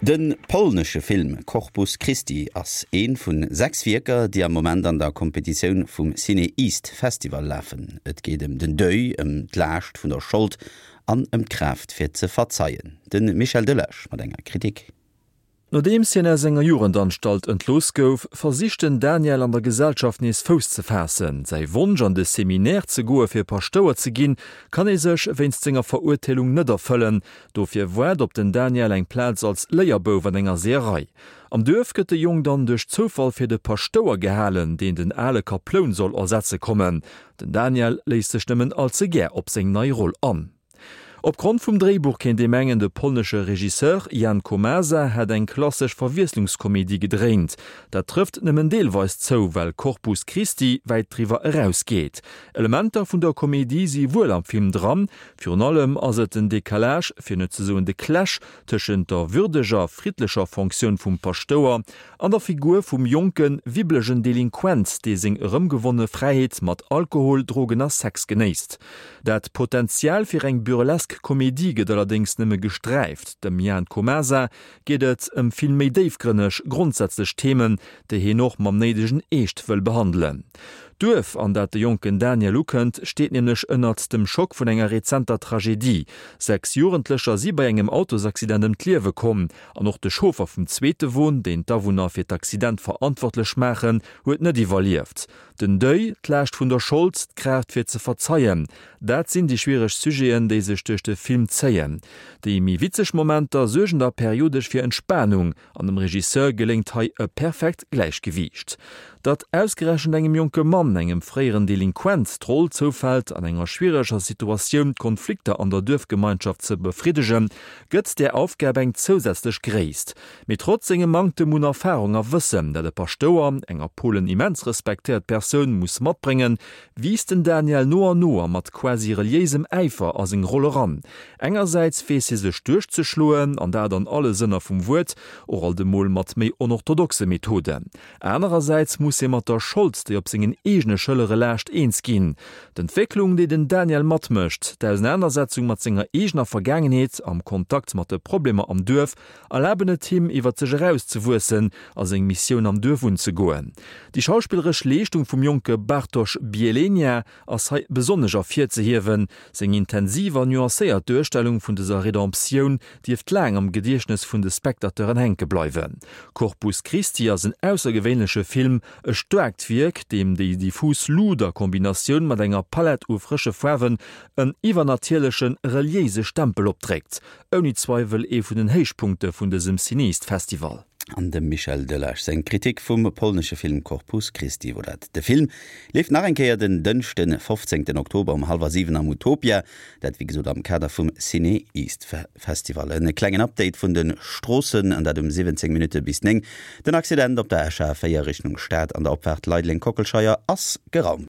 De polnesche Film Corpus Christi ass ee vun 6 Wierker, déi am Moment an der Kompetitioun vum CinEast Festival lafen. Et geet ëm den Deuil, ëm d'Laascht vun der Schold an ëm d'Kraaft fir ze verzeien. De Michel Delage mat enger Kritik. Nodeems hien aus enger Jugendanstalt entlooss gouf, versicht den Daniel an der Gesellschaft nees Fouss ze faassen. Säi Wonsch an de Seminaire ze goe fir Paschtouer ze ginn, kann ee sech wéinst senger Verurteelung net erfëllen. Dofir waart op den Daniel eng Plaz als Léierbouf an enger Seeërei. Am Duerf gëtt de Jong dann duerch Zoufall fir de Paschtouer gehalen, deen den ale Kaploun soll ersetze kommen. Den Daniel léisst sech nëmmen all ze gär op seng nei Roll an. Opgrond vum Dréibuch kéint ee mengen, de polnesche Regisseur Jan Komasa hätt eng klassesch Verwiesslungskomedie gedréint. Dat trëfft nëmmen deelweis zou, well Corpus Christi wäit driwwer eraus geet. Elementer vun der Komedie si wuel am Film dran, virun allem ass et den Decalage, fir net ze soen de Clash, tëschent der würdeger, friddlecher Fonctioun vum Paschtouer an der Figur vum jonken, wibblegen Delinquent, dee seng erëmgewonne Fräiheet mat Alkohol, Drogen a Sex genéisst. Dat Potential fir eng burlesk Komedie gëtt allerdéngs nëmme gesträift. Dem Jan Komasa geet et ëm vill méi déifgrënneg, grondsätzlech Themen, déi hien och mam néidegen Eescht wëll behandelen. D'Duerf, an dat de jonken Daniel ukënnt, steet nämlech ënnert dem Schock vun enger rezenter Tragedie. 6 Jugendlecher si bei engem Autosaccident ëm d'Liewe komm. An och de Chauffer vum zweete Won, deen d'Awunner fir d'Accident verantwortlech maachen, huet net iwwerlieft. Den Deuil, d'Laascht vun der Schold, d'Kraaft fir ze verzeien, dat sinn déi schwiereg Sujeten, déi sech duerch de Film zéien. Déi méi witzeg Momenter suergen da periodesch fir Entspanung, an dem Regisseur geléngt hei e perfekt Gläichgewiicht. Datt ausgerechent engem jonke Mann, engem fréieren Delinquent, d'Roll zoufält, an enger schwiereger Situatioun d'Konflikter an der Duerfgemeinschaft ze befriddegen, gëtt där Aufgab eng zousätzlech Gréisst. Mee trotz sengem Manktem un Erfarung a Wëssen, dat e Paschtouer, eng a Polen immens respektéiert Persoun, muss matbréngen, wiisst den Daniel no an no a mat quasi reliéisem Äifer a seng Roll eran. Engersäits weess hie sech duerchzeschloen, an dat an alle Sënner vum Wuert, och alt emol mat méi onorthodoxe Methoden. Anerersäits muss hie mat der Schold, déi op sengen eegene Schëllere laascht, eens ginn. D'Entwécklung, déi den Daniel matmécht, d'Ausenanersetzung mat senger eegener Vergaangenheet am Kontakt mat de Problemer am Duerf, erlaben et him, iwwer sech erauszewuessen a seng Missioun am Duerf unzegoen. Déi schauspilleresch Leeschtung vum jonke Bartosz Bielenia ass hei besonnesch ervirzehiewen. Seng intensiv an nuancéiert Duerstellung vun dëser Redemptioun dierft laang am Gediechtnes vun de Spectateuren hänke bleiwen. Corpus Christi ass en aussergewéinleche Film, e staarkt Wierk, deem déi diffus Luut a Kombinatioun mat enger Palett u frësche Faarwen en iwwernatierlechen, reliéise Stempel opdréckt. Ouni Zweiwel ee vun den Héichpunkte vun dësem CinEast-Festival. An dem Michel Delage seng Kritik vum polnesche Film Corpus Christi wor dat. De Film leeft nach eng Kéier den Dënschden, 15 Oktober um hallwer 7 am Utopia. Dat wéi gesot am Kader vum Ciné East Festival. En klengen Update vun de Stroossen, an dat um 17 Minutte bis 9. Den Accident op der Escher A4 Richtung Stad an der Opfaart Leideleng-Kockelscheier ass geraumt.